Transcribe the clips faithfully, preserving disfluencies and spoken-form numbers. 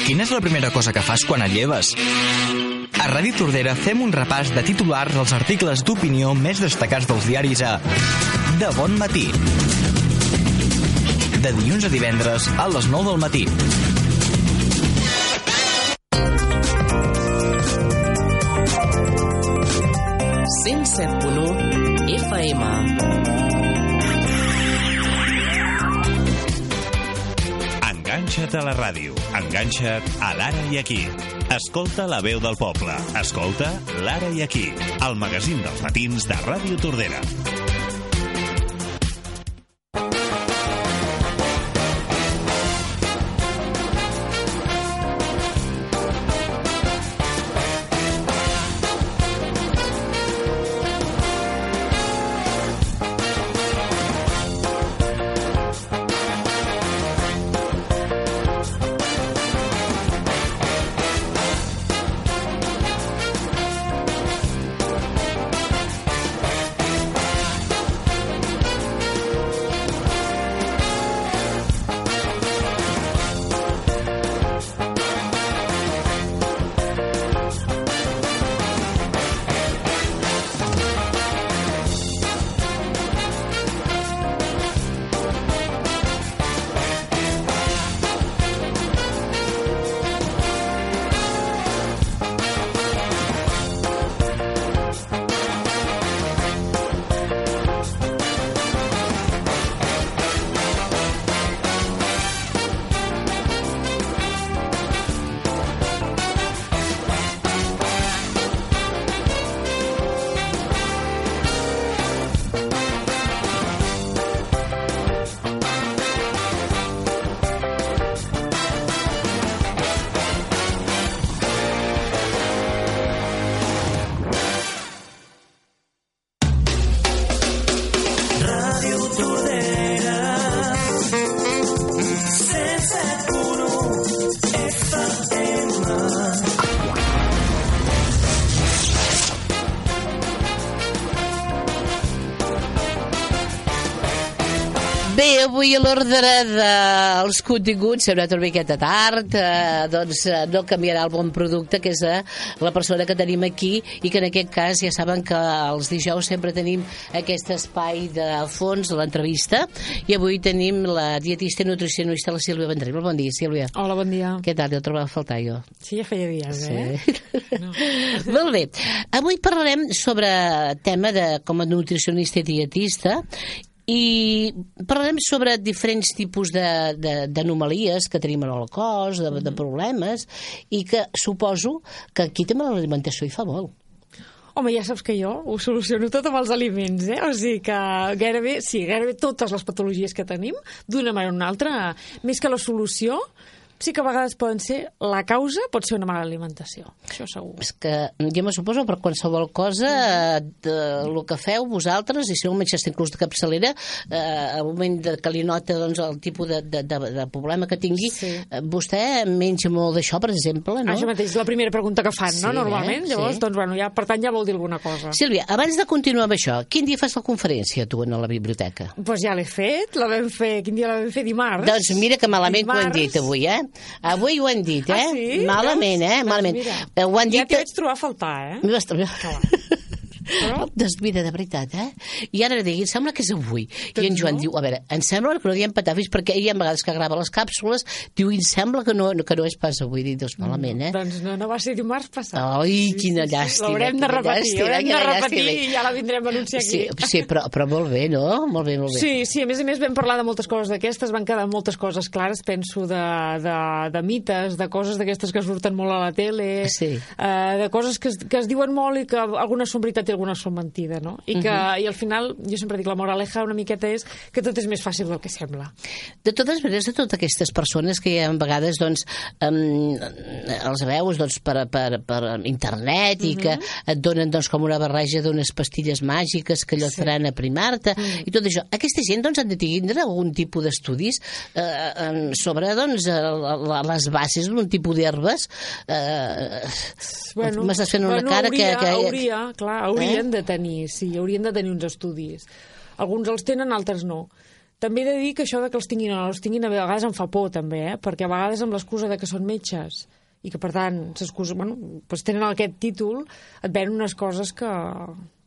Quina és la primera cosa que fas quan et lleves? A Ràdio Tordera fem un repàs de titulars dels articles d'opinió més destacats dels diaris a De Bon Matí. De dilluns a divendres a les nou del matí. cent set punt u F M. Enganxa't a la ràdio. Enganxa't a l'Ara i Aquí. Escolta la veu del poble. Escolta l'Ara i Aquí, el magazín dels matins de Ràdio Tordera. Bé, avui a l'ordre dels continguts hem anat una miqueta tard, eh, doncs eh, no canviarà el bon producte, que és eh, la persona que tenim aquí, i que en aquest cas ja saben que els dijous sempre tenim aquest espai de fons, l'entrevista, i avui tenim la dietista i nutricionista, la Sílvia Vendrell. Bon dia, Sílvia. Hola, bon dia. Què tal? Jo el trobava a faltar, jo. Sí, ja feia dies, eh? Sí. No. Molt bé. Avui parlarem sobre tema de com a nutricionista i dietista, i parlarem sobre diferents tipus d'anomalies que tenim en el cos, de, de problemes, i que suposo que aquí també l'alimentació hi fa molt. Home, ja saps que jo ho soluciono tot amb els aliments, eh? O sigui que gairebé, sí, gairebé totes les patologies que tenim, d'una manera o una altra, més que la solució, sí que a vegades poden ser, la causa pot ser una mala alimentació, això segur. És que jo me suposo per qualsevol cosa de, el que feu vosaltres, i si no menjaste inclús de capçalera, eh, al moment de, que li nota doncs, el tipus de, de, de, de problema que tingui, sí. eh, vostè menja molt d'això, per exemple, no? Això mateix, la primera pregunta que fan, sí, no? Normalment, eh? llavors, sí. doncs, bueno, ja, per tant, ja vol dir alguna cosa. Sílvia, abans de continuar amb això, quin dia fas la conferència, tu, a la biblioteca? Doncs pues ja l'he fet, la vam fer, quin dia la vam fer? Dimarts. Doncs mira que malament ho hem dit avui, eh? Avui ho hem dit, eh? Ah, sí? Malament, eh? Malament. Doncs ho han dit... Ja t'hi vaig trobar a faltar, eh? M'hi vas trobar... Però... Doncs mira, de veritat, eh? I ara digui, sembla que és avui. Doncs I en Joan no? diu, a veure, em sembla que no diem patafis, perquè ell, a vegades que grava les càpsules, diu, em sembla que no, que no és pas avui. Dic, doncs malament, eh? Doncs no, no va ser dimarts passat. Ai, sí, quina sí, llàstima. L'haurem de repetir, l'haurem de repetir i ja la vindrem a anunciar aquí. Sí, sí però, però molt bé, no? Molt bé, molt bé. Sí, sí, a més a més vam parlar de moltes coses d'aquestes, van quedar moltes coses clares, penso, de, de, de mites, de coses d'aquestes que surten molt a la tele, sí. eh, de coses que es, que es diuen molt i que algunes són veritat i algunes són mentida. No? I, que, uh-huh. i al final, jo sempre dic, la moraleja una miqueta és que tot és més fàcil del que sembla. De totes maneres, de totes aquestes persones que a vegades doncs, um, els veus doncs, per, per, per internet uh-huh. i que et donen doncs, com una barreja d'unes pastilles màgiques que allò et faran sí. aprimar-te uh-huh. i tot això. Aquesta gent doncs, han de tindre algun tipus d'estudis eh, sobre doncs, les bases d'un tipus d'herbes. Eh, bueno, m'estàs fent una bueno, cara hauria, que... que... Hauria, clar, haurien eh? de tenir, sí, haurien de tenir uns estudis. Alguns els tenen, altres no. també he de dir que això de que els tinguin o no els tinguin a vegades em fa por també, eh? Perquè a vegades amb l'excusa de que són metges i que per tant s'excusa, bueno, doncs tenen aquest títol, et venen unes coses que,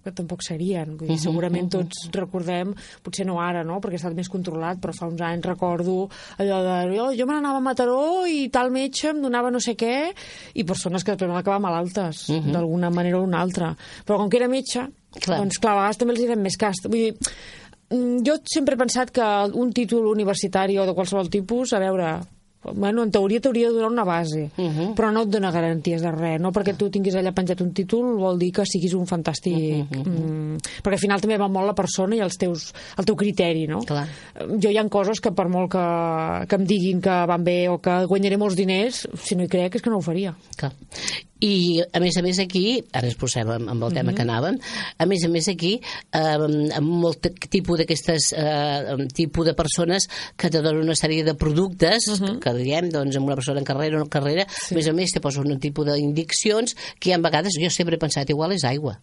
que tampoc serien. Vull dir, segurament tots recordem, potser no ara, no? Perquè ha estat més controlat, però fa uns anys recordo allò de oh, jo me n'anava a Mataró i tal metge em donava no sé què, i persones que després van acabar malaltes, uh -huh. d'alguna manera o una altra. Però com que era metge, clar. doncs clar, a vegades també els hi fem més cas. Vull dir, jo sempre he pensat que un títol universitari o de qualsevol tipus, a veure, bueno, en teoria t'hauria de donar una base, uh -huh. però no et dona garanties de res, no perquè tu tinguis allà penjat un títol vol dir que siguis un fantàstic, uh -huh. mm, perquè al final també va molt la persona i els teus, el teu criteri, no? Clar. Jo hi ha coses que per molt que, que em diguin que van bé o que guanyaré molts diners, si no hi crec és que no ho faria. Clar. I a més a més aquí, ara ens posem amb, amb el tema uh -huh. que anàvem, a més a més aquí eh, amb molt tipus d'aquestes eh, tipus de persones que te donen una sèrie de productes uh -huh. que diguem, doncs amb una persona en carrera o no en carrera, sí. a més a més te posen un tipus d'indiccions que a vegades jo sempre he pensat igual és aigua.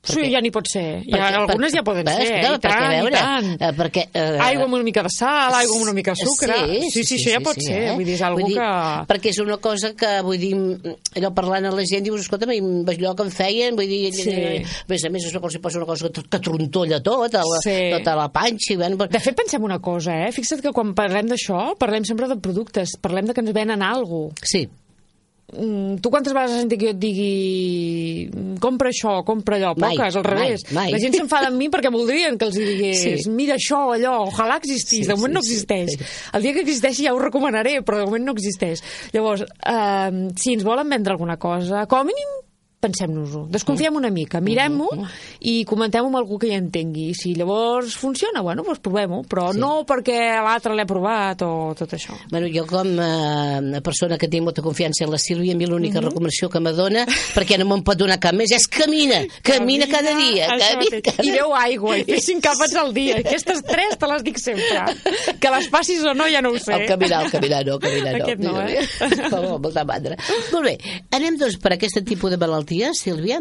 Perquè, sí, ja n'hi pot ser. Ja, perquè, algunes per, ja poden ves, ser. No, I tant, veure, i tant. Uh, perquè, uh, aigua amb una mica de sal, aigua amb una mica de sucre. Sí, sí, sí, sí, això ja pot sí, ser. Eh? Vull dir, és algú vull dir, que... Perquè és una cosa que, vull dir, allò parlant a la gent, dius, escolta, allò que em feien, vull dir, sí. a més a més és una cosa, una cosa que, que trontolla tot, a la, sí. tota la panxa. I bueno, de fet, pensem una cosa, eh? Fixa't que quan parlem d'això, parlem sempre de productes, parlem de que ens venen alguna cosa. Sí. Tu quantes vegades has sentit que jo et digui compra això, compra allò? Mai, poques, al revés. Mai, mai. La gent s'enfada amb mi perquè voldrien que els digués sí. mira això, allò, ojalà existís. Sí, de moment sí, no existeix. Sí. El dia que existeixi ja ho recomanaré, però de moment no existeix. Llavors, eh, si ens volen vendre alguna cosa, com a mínim pensem-nos-ho, desconfiem una mica, mirem-ho i comentem-ho amb algú que hi entengui. Si llavors funciona, bueno, doncs provem-ho, però sí. no perquè l'altre l'he provat o tot això. Bueno, jo com a eh, persona que tinc molta confiança en la Sílvia, a mi l'única mm -hmm. recomanació que me dona, perquè no me'n pot donar cap més, és camina, camina, camina cada dia. Camina, cada... I beu aigua, i fes cinc àpats al dia. Aquestes tres te les dic sempre. Que les passis o no, ja no ho sé. El caminar, el caminar no, el caminar no. Aquest no, eh? Oh, molta mandra. Molt bé, anem doncs per aquest tipus de malaltia, Sílvia,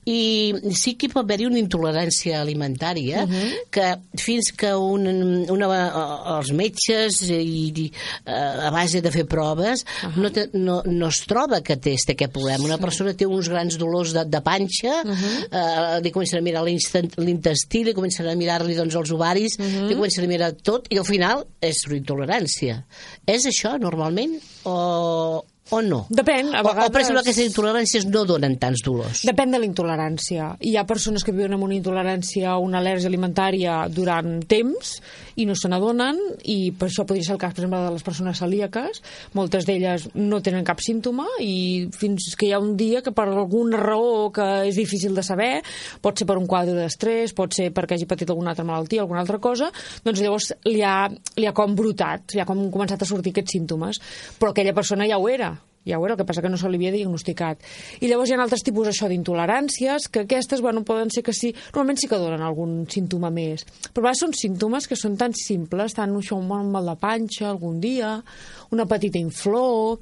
i sí que pot haver-hi una intolerància alimentària uh -huh. que fins que un, una, els metges i, i, a base de fer proves uh -huh. no, te, no, no es troba que té aquest problema. Una persona té uns grans dolors de, de panxa, uh -huh. eh, li comencen a mirar l'intestí, li comencen a mirar-li doncs, els ovaris, uh -huh. li comencen a mirar tot i al final és una intolerància. És això normalment o... o no? Depèn, a vegades... O, o per exemple, aquestes intoleràncies no donen tants dolors? Depèn de la intolerància. Hi ha persones que viuen amb una intolerància o una al·lèrgia alimentària durant temps i no se n'adonen, i per això podria ser el cas, per exemple, de les persones celíaques. Moltes d'elles no tenen cap símptoma i fins que hi ha un dia que per alguna raó que és difícil de saber, pot ser per un quadre d'estrès, pot ser perquè hagi patit alguna altra malaltia, alguna altra cosa, doncs llavors li ha, li ha com brotat, li ha com començat a sortir aquests símptomes. Però aquella persona ja ho era. Ja ho era, el que passa que no se li havia diagnosticat. I llavors hi ha altres tipus això d'intoleràncies, que aquestes, bueno, poden ser que sí, normalment sí que donen algun símptoma més. Però a vegades són símptomes que són tan simples, tant això, un mal de panxa algun dia, una petita inflor,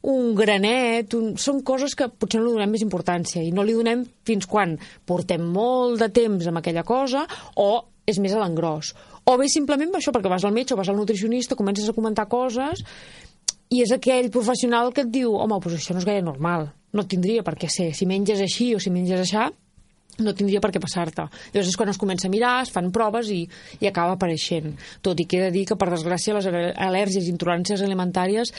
un granet, un... són coses que potser no li donem més importància i no li donem fins quan portem molt de temps amb aquella cosa o és més a l'engròs. O bé simplement això, perquè vas al metge o vas al nutricionista, comences a comentar coses i és aquell professional que et diu home, doncs això no és gaire normal, no tindria per què ser, si menges així o si menges aixà no tindria per què passar-te. Llavors és quan es comença a mirar, es fan proves i, i acaba apareixent. Tot i que he de dir que, per desgràcia, les al·lèrgies i intoleràncies alimentàries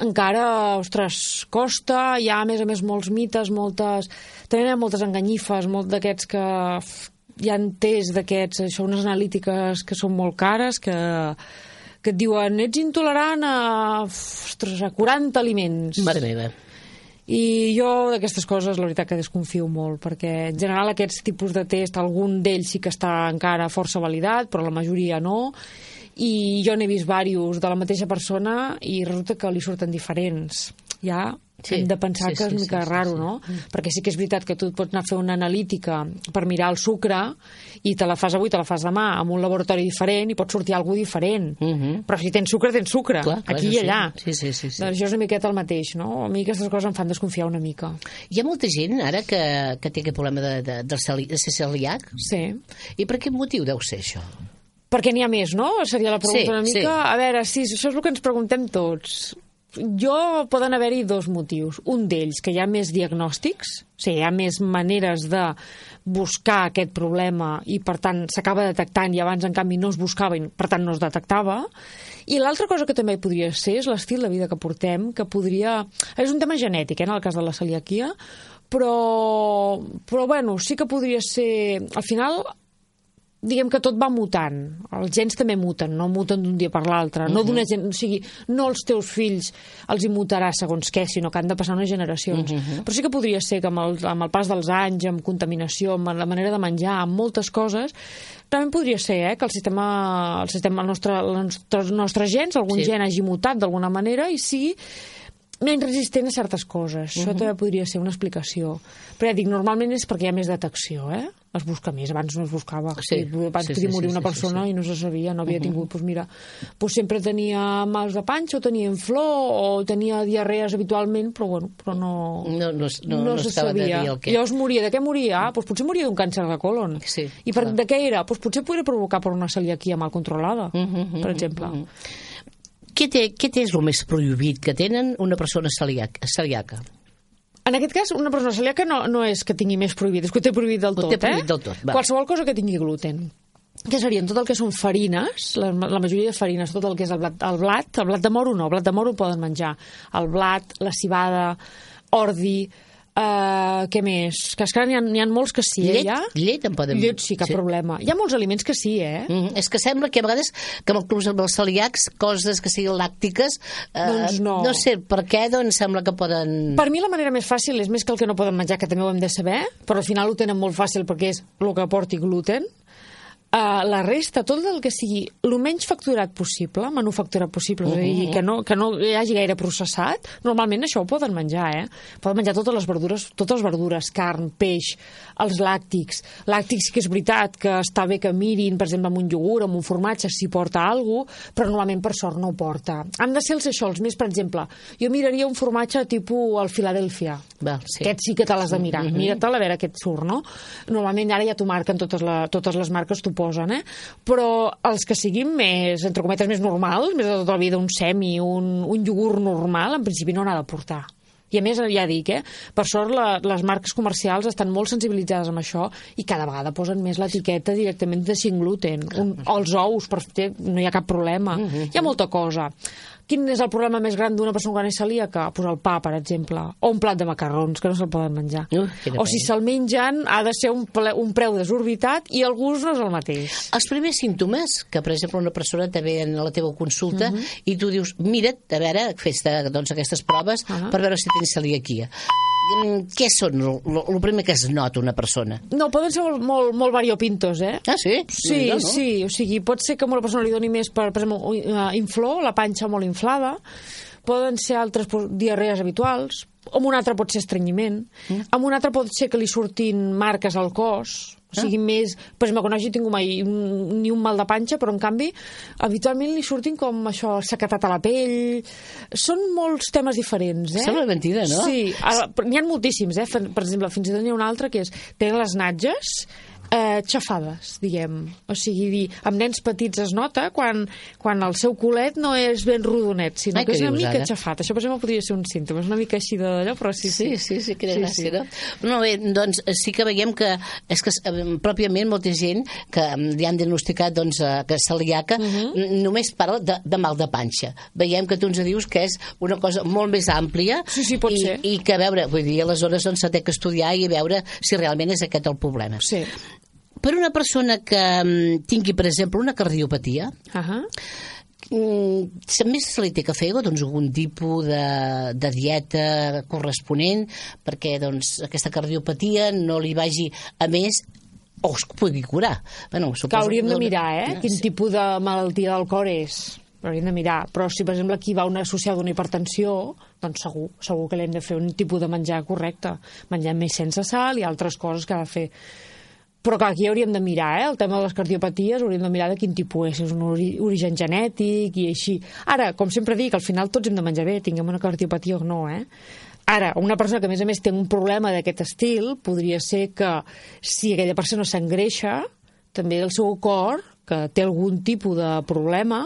encara, ostres, costa, hi ha a més a més molts mites, moltes... també hi ha moltes enganyifes, molt d'aquests que hi ha tests d'aquests, això, unes analítiques que són molt cares, que que et diuen, ets intolerant a, ostres, a quaranta aliments. Mare meva. I jo d'aquestes coses la veritat que desconfio molt, perquè en general aquests tipus de test, algun d'ells sí que està encara força validat, però la majoria no, i jo n'he vist diversos de la mateixa persona i resulta que li surten diferents. Ja sí, hem de pensar sí, que és una mica sí, raro, sí, sí. no? Mm. Perquè sí que és veritat que tu et pots anar a fer una analítica per mirar el sucre i te la fas avui, te la fas demà amb un laboratori diferent i pot sortir alguna diferent. Mm -hmm. Però si tens sucre, tens sucre. Clar, clar, aquí i allà. Sí, sí, sí, sí. Doncs això és una miqueta el mateix, no? A mi aquestes coses em fan desconfiar una mica. Hi ha molta gent ara que, que té aquest problema de, de, de ser celíac? Sí. I per quin motiu deu ser això? perquè n'hi ha més, no? Seria la pregunta Sí, una mica. sí. A veure, sí, això és el que ens preguntem tots. Jo poden haver-hi dos motius. Un d'ells, que hi ha més diagnòstics, o sigui, hi ha més maneres de buscar aquest problema i, per tant, s'acaba detectant i abans, en canvi, no es buscava i, per tant, no es detectava. I l'altra cosa que també podria ser és l'estil de vida que portem, que podria... És un tema genètic, eh, en el cas de la celiaquia, però, però bueno, sí que podria ser... Al final... diguem que tot va mutant. Els gens també muten, no muten d'un dia per l'altre. No d'una gent, o sigui, no els teus fills els hi mutarà segons què, sinó que han de passar unes generacions. Uh-huh. Però sí que podria ser que amb el, amb el pas dels anys, amb contaminació, amb la manera de menjar, amb moltes coses, també podria ser eh, que el sistema, el sistema el nostre, els nostres, nostres gens, algun sí. gen hagi mutat d'alguna manera i sigui menys resistent a certes coses. Uh-huh. Això també podria ser una explicació. Però ja dic, normalment és perquè hi ha més detecció, eh? Es busca més, abans no es buscava. Sí. Abans sí, podia sí, morir sí, una sí, persona sí, sí. i no se sabia, no havia Uh-huh. tingut, doncs mira, doncs sempre tenia mals de panxa, o tenia inflor, o tenia diarrees habitualment, però bueno, però no, No, no, no, no se estava de sabia. dir el què. Llavors moria, de què moria? Ah, doncs potser moria d'un càncer de colon. Sí, I per, clar. de què era? Doncs potser podria provocar per una celiaquia mal controlada, Uh-huh, per exemple. uh-huh. Què té, què té és el més prohibit que tenen una persona celíaca? celíaca? En aquest cas, una persona celíaca no, no és que tingui més prohibit, és que ho té prohibit del Ho tot. té prohibit eh? del tot, va. Qualsevol cosa que tingui gluten. Que serien tot el que són farines, la, la majoria de farines, tot el que és el blat, el blat, el blat de moro no, el blat de moro poden menjar. El blat, la cibada, ordi, Uh, què més? Que esclar, n'hi ha, n'hi ha molts que sí, Llet, eh, ja? llet en poden... Llet sí, cap sí. problema. Hi ha molts aliments que sí, eh? Mm, és que sembla que a vegades que amb els, amb els celíacs coses que siguin làctiques eh, Doncs no. no sé per què, doncs sembla que poden... Per mi la manera més fàcil és més que el que no poden menjar, que també ho hem de saber, però al final ho tenen molt fàcil perquè és el que porti gluten. Uh, la resta, tot el que sigui el menys facturat possible, manufacturat possible, uh-huh. és a dir, que no, que no hi hagi gaire processat, normalment això ho poden menjar, eh? Poden menjar totes les verdures, totes les verdures, carn, peix, els làctics. Làctics que és veritat que està bé que mirin, per exemple, amb un iogurt, amb un formatge, si porta alguna cosa, però normalment per sort no ho porta. Han de ser els això, els més, per exemple, jo miraria un formatge tipus el Philadelphia. Val, sí. Aquest sí que te l'has de mirar. Uh-huh. Mira-te'l a veure què et surt, no? Normalment ara ja t'ho marquen totes, la, totes les marques, t'ho posen, eh? Però els que siguin més, entre cometes, més normals, més de tota la vida, un semi, un, un iogurt normal, en principi no n'ha de portar. I a més, ja dic, eh, per sort la, les marques comercials estan molt sensibilitzades amb això i cada vegada posen més l'etiqueta directament de sin gluten. Un, els ous, per, no hi ha cap problema. Uh-huh. Hi ha molta cosa. Quin és el problema més gran d'una persona quan és celíaca? Pues el pa, per exemple, o un plat de macarrons, que no se'l poden menjar. Uh, o si se'l mengen, ha de ser un, ple, un preu desorbitat i el gust no és el mateix. Els primers símptomes, que per exemple una persona te ve a la teva consulta uh-huh. i tu dius, mira't, a veure, fes doncs, aquestes proves uh-huh. per veure si tens celiaquia. Què són el primer que es nota una persona? No, poden ser molt, molt, molt variopintos, eh? Ah, sí? Sí, no, no? sí, o sigui, pot ser que a una persona li doni més, per, per exemple, inflor, la panxa molt inflada, poden ser altres diarrees habituals, amb un altre pot ser estrenyiment, mm. amb un altre pot ser que li surtin marques al cos, o sigui, ah. més... Per exemple, quan no hagi tingut mai un, ni un mal de panxa, però en canvi, habitualment li surtin com això, sequetat a la pell... Són molts temes diferents, eh? Sembla mentida, no? Sí, n'hi ha moltíssims, eh? Per exemple, fins i tot n'hi ha un altre que és... Tenen les natges eh, xafades, diguem. O sigui, dir, amb nens petits es nota quan, quan el seu culet no és ben rodonet, sinó Ai, que és una dius, mica ara? xafat. Això, per exemple, podria ser un símptoma. És una mica així d'allò, però sí, sí. Sí, sí, sí, que sí, gràcia, sí. no? No, bé, doncs sí que veiem que és que eh, pròpiament molta gent que li han diagnosticat doncs, eh, que és celíaca uh-huh. només parla de, de mal de panxa. Veiem que tu ens dius que és una cosa molt més àmplia Sí, sí, pot i, ser. i que, a veure, vull dir, aleshores doncs, s'ha de estudiar i veure si realment és aquest el problema. Sí. Per una persona que mm, tingui, per exemple, una cardiopatia, Uh-huh. mm, més se li té que fer doncs, algun tipus de, de dieta corresponent perquè doncs, aquesta cardiopatia no li vagi a més o es pugui curar. Bueno, Que hauríem de mirar, eh? No, Quin sí. tipus de malaltia del cor és. Hauríem de mirar. Però si, per exemple, aquí va una associada a una hipertensió, doncs segur, segur que li hem de fer un tipus de menjar correcte. Menjar més sense sal i altres coses que ha de fer. Però clar, aquí hauríem de mirar, eh? El tema de les cardiopaties, hauríem de mirar de quin tipus és, és un ori origen genètic i així. Ara, com sempre dic, al final tots hem de menjar bé, tinguem una cardiopatia o no, eh? Ara, una persona que a més a més té un problema d'aquest estil, podria ser que si aquella persona s'engreixa, també el seu cor que té algun tipus de problema,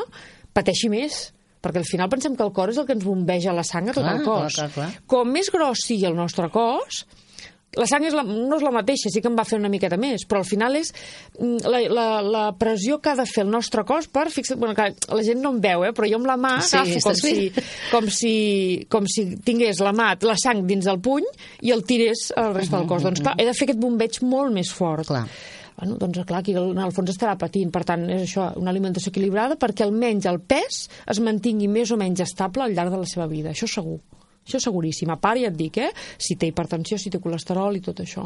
pateixi més. Perquè al final pensem que el cor és el que ens bombeja la sang a tot Clar, el cos. clar, clar, clar. Com més gros sigui el nostre cos, la sang és la, no és la mateixa, sí que em va fer una miqueta més, però al final és mm, la, la, la pressió que ha de fer el nostre cos per fixar... Bueno, que la gent no em veu, eh, però jo amb la mà Sí, agafo com estàs si, bé. com, si, com si tingués la mà, la sang dins del puny i el tirés al resta del cos. Doncs clar, he de fer aquest bombeig molt més fort. Clar. Bueno, doncs clar, aquí en el fons estarà patint. Per tant, és això, una alimentació equilibrada perquè almenys el pes es mantingui més o menys estable al llarg de la seva vida. Això segur. Això seguríssim. A part, ja et dic, eh? Si té hipertensió, si té colesterol i tot això.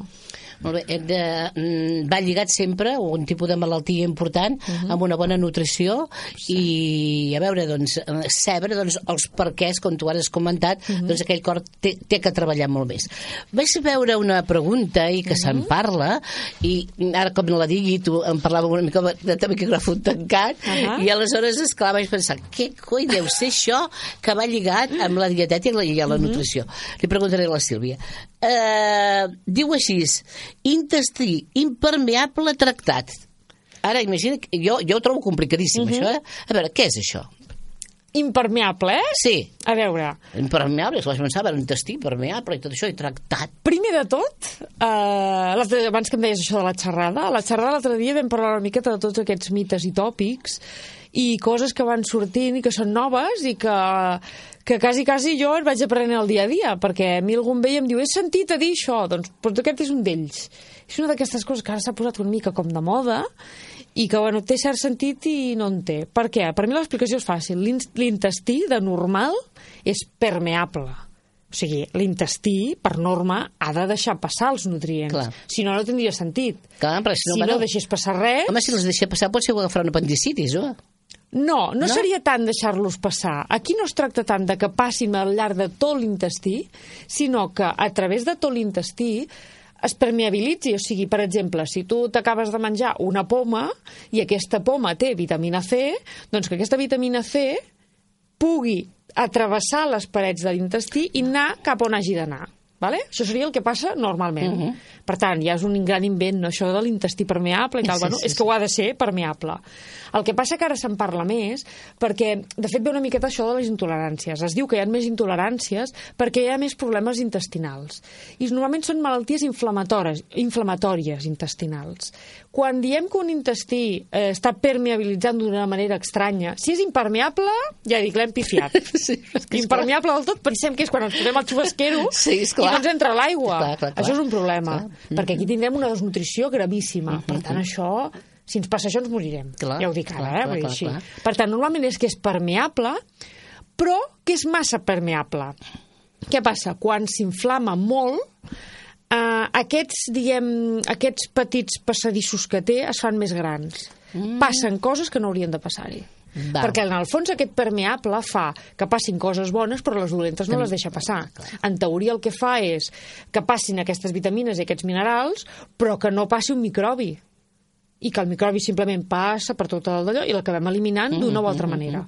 Molt bé, hem de, mm, va lligat sempre un tipus de malaltia important uh -huh. amb una bona nutrició i a veure, doncs, saber doncs, els perquès, com tu ara has comentat, uh -huh. doncs aquell cor té, té que treballar molt més. Vaig veure una pregunta i que uh -huh. se'n parla i ara com la digui tu em parlava una mica de, de micròfon tancat uh -huh. i aleshores, esclar, vaig pensar què coi deu ser això que va lligat amb la dietètica i la, i la nutrició. Li preguntaré a la Sílvia. Uh, diu així, intestí impermeable tractat. Ara, imagina, jo, jo ho trobo complicadíssim, uh -huh. això, eh? A veure, què és això? Impermeable, eh? Sí. A veure... Impermeable, és que vaig pensar, un intestí impermeable i tot això, i tractat. Primer de tot, eh, abans que em deies això de la xerrada, a la xerrada l'altre dia vam parlar una miqueta de tots aquests mites i tòpics i coses que van sortint i que són noves i que, que quasi, quasi jo et vaig aprenent el dia a dia, perquè a mi algun veia em diu he sentit a dir això, doncs, doncs aquest és un d'ells. És una d'aquestes coses que ara s'ha posat una mica com de moda i que, bueno, té cert sentit i no en té. Per què? Per mi l'explicació és fàcil. L'intestí, de normal, és permeable. O sigui, l'intestí, per norma, ha de deixar passar els nutrients. Clar. Si no, no tindria sentit. Clar, però si no, si bueno, no deixés passar res... Home, si les deixa passar pot ser agafar un apendicitis, o? No, no, No? no seria tant deixar-los passar. Aquí no es tracta tant de que passin al llarg de tot l'intestí, sinó que a través de tot l'intestí es permeabilitzi, o sigui, per exemple, si tu t'acabes de menjar una poma i aquesta poma té vitamina C, doncs que aquesta vitamina C pugui atravessar les parets de l'intestí i anar cap on hagi d'anar. Vale? Això seria el que passa normalment. Uh -huh. Per tant, ja és un gran invent, no? Això de l'intestí permeable i tal. Sí, Bueno, sí, és que sí. ho ha de ser permeable. El que passa que ara se'n parla més perquè, de fet, ve una miqueta això de les intoleràncies. Es diu que hi ha més intoleràncies perquè hi ha més problemes intestinals. I normalment són malalties inflamatòries, inflamatòries intestinals. Quan diem que un intestí eh, està permeabilitzant d'una manera estranya, si és impermeable, ja dic, l'hem pifiat. Sí, és que és Impermeable del tot, pensem que és quan ens posem el xubasquero Sí, és i clar. no ens entra l'aigua. Clar, clar, clar. Això és un problema, Clar. perquè aquí tindrem una desnutrició gravíssima. Per tant, això, si ens passa això, ens morirem. Clar, ja ho dic ara, clar, eh? clar, Vull dir clar, així. clar. Per tant, normalment és que és permeable, però que és massa permeable. Què passa? Quan s'inflama molt, eh, aquests, diguem, aquests petits passadissos que té es fan més grans. Mm. Passen coses que no haurien de passar-hi. Va. Perquè en el fons aquest permeable fa que passin coses bones però les dolentes no les deixa passar. En teoria el que fa és que passin aquestes vitamines i aquests minerals però que no passi un microbi i que el microbi simplement passa per tot el d'allò i l'acabem eliminant d'una o altra manera.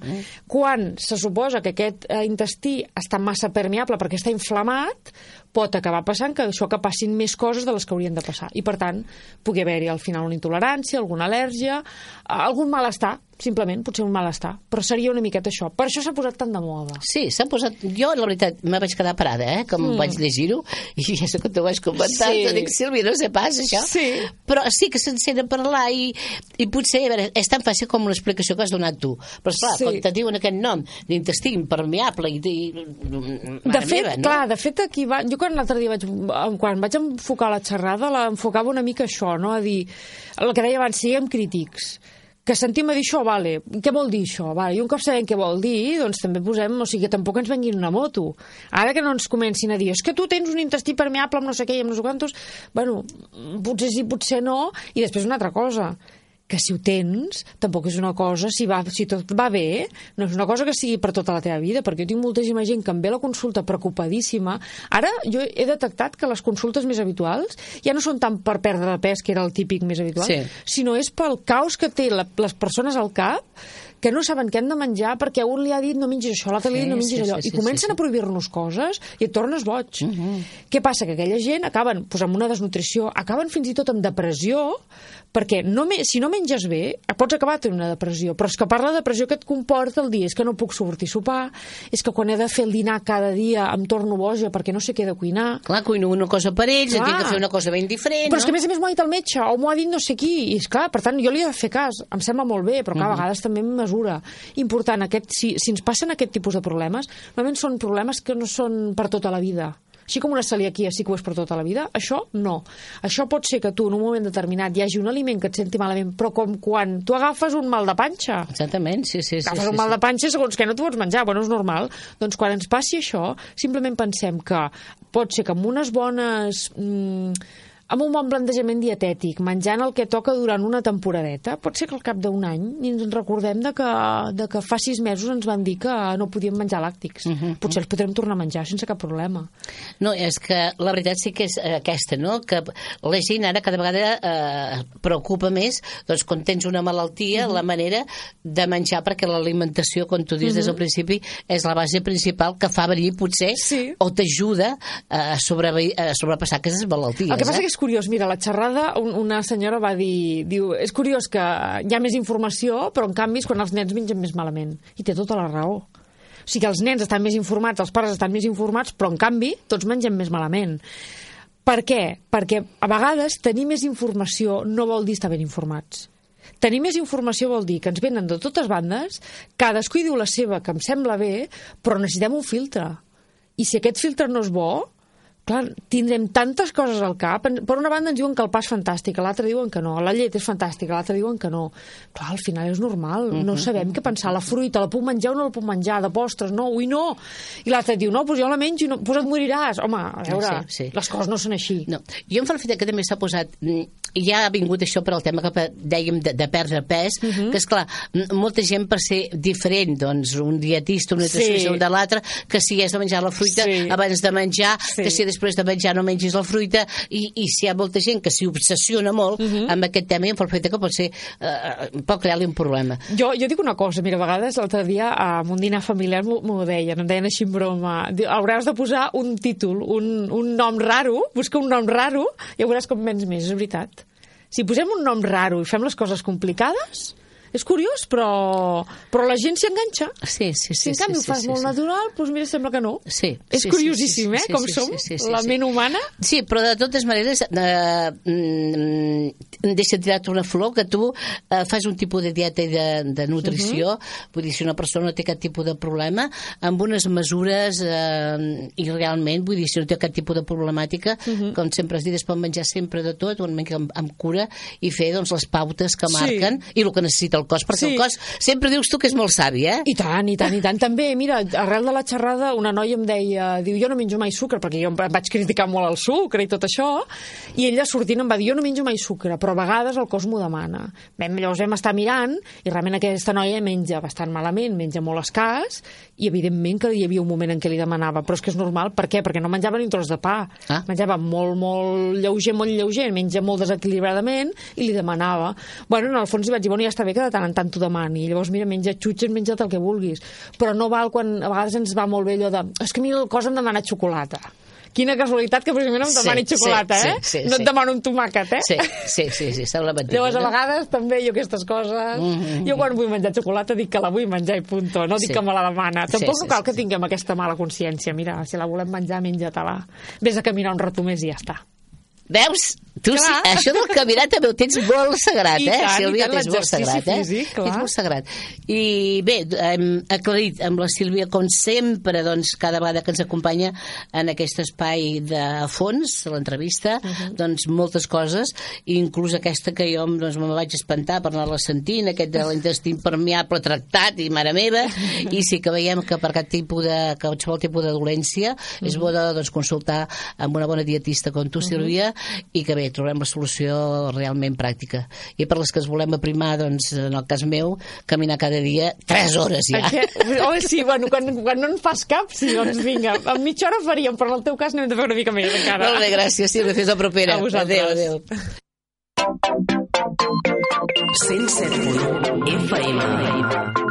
Quan se suposa que aquest eh, intestí està massa permeable perquè està inflamat, pot acabar passant que això que passin més coses de les que haurien de passar. I, per tant, pugui haver-hi al final una intolerància, alguna al·lèrgia, algun malestar, simplement, potser un malestar. Però seria una miqueta això. Per això s'ha posat tant de moda. Sí, s'ha posat... Jo, la veritat, me vaig quedar parada, eh?, com mm. vaig llegir-ho, i ja sé que t'ho vaig comentar, Sí. sí. Dic, Sílvia, no sé pas, això. Sí. Però sí que se'n sent a parlar i, i potser, a veure, és tan fàcil com l'explicació que has donat tu. Però, esclar, Sí. quan te diuen aquest nom d'intestí impermeable i... i De fet, meva, no? clar, de fet aquí va... Jo quan l'altre dia vaig, quan vaig enfocar la xerrada l'enfocava una mica això, no? A dir, el que deia abans, siguem crítics. Que sentim a dir això, vale, què vol dir això? Vale, i un cop sabem què vol dir, doncs també posem, o sigui, que tampoc ens venguin una moto. Ara que no ens comencin a dir, és que tu tens un intestí permeable amb no sé què i amb no sé quantos, bueno, potser sí, potser no, i després una altra cosa, que si ho tens, tampoc és una cosa, si, va, si tot va bé, no és una cosa que sigui per tota la teva vida, perquè jo tinc moltíssima gent que em ve a la consulta preocupadíssima. Ara jo he detectat que les consultes més habituals ja no són tant per perdre de pes, que era el típic més habitual, Sí. sinó és pel caos que té la, les persones al cap, que no saben què han de menjar perquè un li ha dit no mengis això, l'altre li ha dit no mengis Sí, sí, allò, sí, i comencen sí, sí. a prohibir-nos coses i et tornes boig. Uh -huh. Què passa? Que aquella gent acaben pues, amb una desnutrició, acaben fins i tot amb depressió, perquè no me, si no menges bé, pots acabar tenint una depressió, però és que parla de depressió que et comporta el dir, és que no puc sortir a sopar, és que quan he de fer el dinar cada dia em torno boja perquè no sé què he de cuinar. Clar, cuino una cosa per ells, Clar. tinc que fer una cosa ben diferent, Però és no? que a més a més m'ho ha dit el metge, o m'ho ha dit no sé qui, i és clar, per tant, jo li he de fer cas, em sembla molt bé, però clar, a vegades també em mesura. Important, aquest, si, si ens passen aquest tipus de problemes, normalment són problemes que no són per tota la vida. Així com una celiaquia sí que ho és per tota la vida, això no. Això pot ser que tu en un moment determinat hi hagi un aliment que et senti malament, però com quan tu agafes un mal de panxa. Exactament, sí, sí. sí Agafes sí, un mal sí. de panxa segons que no t'ho pots menjar, bueno, és normal. Doncs quan ens passi això, simplement pensem que pot ser que amb unes bones... Mm, amb un bon plantejament dietètic, menjant el que toca durant una temporadeta, pot ser que al cap d'un any ni ens en recordem de que, de que fa sis mesos ens van dir que no podíem menjar làctics. Uh -huh. Potser els podrem tornar a menjar sense cap problema. No, és que la veritat sí que és aquesta, no? Que la gent ara cada vegada eh, preocupa més, doncs, quan tens una malaltia, uh -huh. la manera de menjar, perquè l'alimentació, com tu dius uh -huh. des del principi, és la base principal que fa venir, potser, Sí. o t'ajuda a, sobre, a sobrepassar aquestes malalties. El que passa eh? que és curiós, mira, la xerrada, un, una senyora va dir, diu, és curiós que hi ha més informació, però en canvi és quan els nens mengen més malament. I té tota la raó. O sigui que els nens estan més informats, els pares estan més informats, però en canvi tots mengem més malament. Per què? Perquè a vegades tenir més informació no vol dir estar ben informats. Tenir més informació vol dir que ens venen de totes bandes, cadascú hi diu la seva, que em sembla bé, però necessitem un filtre. I si aquest filtre no és bo, clar, tindrem tantes coses al cap. Per una banda ens diuen que el pa és fantàstic, a l'altra diuen que no, la llet és fantàstica, a l'altra diuen que no. Clar, al final és normal, no uh-huh. sabem què pensar. La fruita, la puc menjar o no la puc menjar? De postres, no, ui, no. I l'altre diu, no, doncs jo la menjo i no, doncs et moriràs. Home, a veure, sí, sí. les coses no són així. No. Jo em fa l'efecte que també s'ha posat... Ja ha vingut això per al tema que dèiem de, de perdre pes, uh -huh. que és clar, molta gent per ser diferent, doncs un dietista, un nutricionista sí. de l'altre, que si has de menjar la fruita sí. abans de menjar, sí. que si després de menjar no mengis la fruita, i, i si hi ha molta gent que s'hi obsessiona molt uh -huh. amb aquest tema, i em fa l'efecte que pot ser eh, pot crear-li un problema. Jo, jo dic una cosa, mira, a vegades l'altre dia amb un dinar familiar m'ho deien, em deien així en broma, hauràs de posar un títol, un, un nom raro, busca un nom raro i ja veuràs com menys més, és veritat. Si posem un nom raro i fem les coses complicades, és curiós, però, però la gent s'hi enganxa. Sí, sí, sí. Si en canvi sí, ho fas sí, molt sí. natural, doncs mira, sembla que no. Sí. És sí, curiosíssim, sí, sí, eh, sí, com sí, som, sí, sí, sí, la sí. ment humana. Sí, però de totes maneres, eh, mm, deixa tirar-te una flor, que tu eh, fas un tipus de dieta i de, de nutrició, uh -huh. vull dir, si una persona no té cap tipus de problema, amb unes mesures, eh, i realment, vull dir, si no té cap tipus de problemàtica, uh -huh. com sempre has dit, es pot menjar sempre de tot, una mica amb, amb cura, i fer, doncs, les pautes que marquen, sí. i el que necessita el cos, perquè sí. el cos, sempre dius tu que és molt savi, eh? I tant, i tant, i tant. També, mira, arrel de la xerrada, una noia em deia, diu, jo no menjo mai sucre, perquè jo em vaig criticar molt el sucre i tot això, i ella sortint em va dir, jo no menjo mai sucre, però a vegades el cos m'ho demana. Vam, llavors vam estar mirant, i realment aquesta noia menja bastant malament, menja molt escàs, i evidentment que hi havia un moment en què li demanava, però és que és normal, per què? Perquè no menjava ni un tros de pa. Ah. Menjava molt, molt lleuger, molt lleuger, menja molt desequilibradament, i li demanava. Bueno, en el fons li vaig dir, bueno, ja està bé que de tant en tant t'ho demani, i llavors, mira, menja xutxes, menja't el que vulguis, però no val quan a vegades ens va molt bé allò de, és que a mi el cos em demana xocolata. Quina casualitat que precisament em demani sí, xocolata, sí, eh? Sí, sí, no et sí. demano un tomàquet, eh? Sí, sí, sí, sí, s'ha lamentat. Llavors, a vegades, també, jo aquestes coses... Mm-hmm. Jo, quan vull menjar xocolata, dic que la vull menjar i punto, no dic sí. que me la demana. Tampoc sí, sí, cal que sí, tinguem sí. aquesta mala consciència. Mira, si la volem menjar, menja-te-la. Vés a caminar un rato més i ja està. Veus? Tu sí, això del caminar també ho tens molt sagrat, eh? tant, Sílvia, tant, tens molt sagrat, eh? Físic, clar. Tens molt sagrat. I bé, hem aclarit amb la Sílvia, com sempre, doncs, cada vegada que ens acompanya en aquest espai de fons, l'entrevista, uh -huh. doncs, moltes coses, inclús aquesta que jo doncs, me vaig espantar per anar-la sentint, aquest de l'intestí impermeable tractat, i mare meva, i sí que veiem que per cap tipus de, qualsevol tipus de dolència, uh -huh. és bo de doncs, consultar amb una bona dietista com tu, Sílvia, i que bé, trobem la solució realment pràctica. I per les que es volem aprimar, doncs, en el cas meu, caminar cada dia tres hores ja. Oh, sí, bueno, quan, quan no en fas cap, sí, doncs vinga, en mitja hora faríem, però en el teu cas n'hem de fer una mica més encara. Molt bé, gràcies, Sílvia, fins la propera. A vosaltres. Adéu, adéu. cent set punt u F M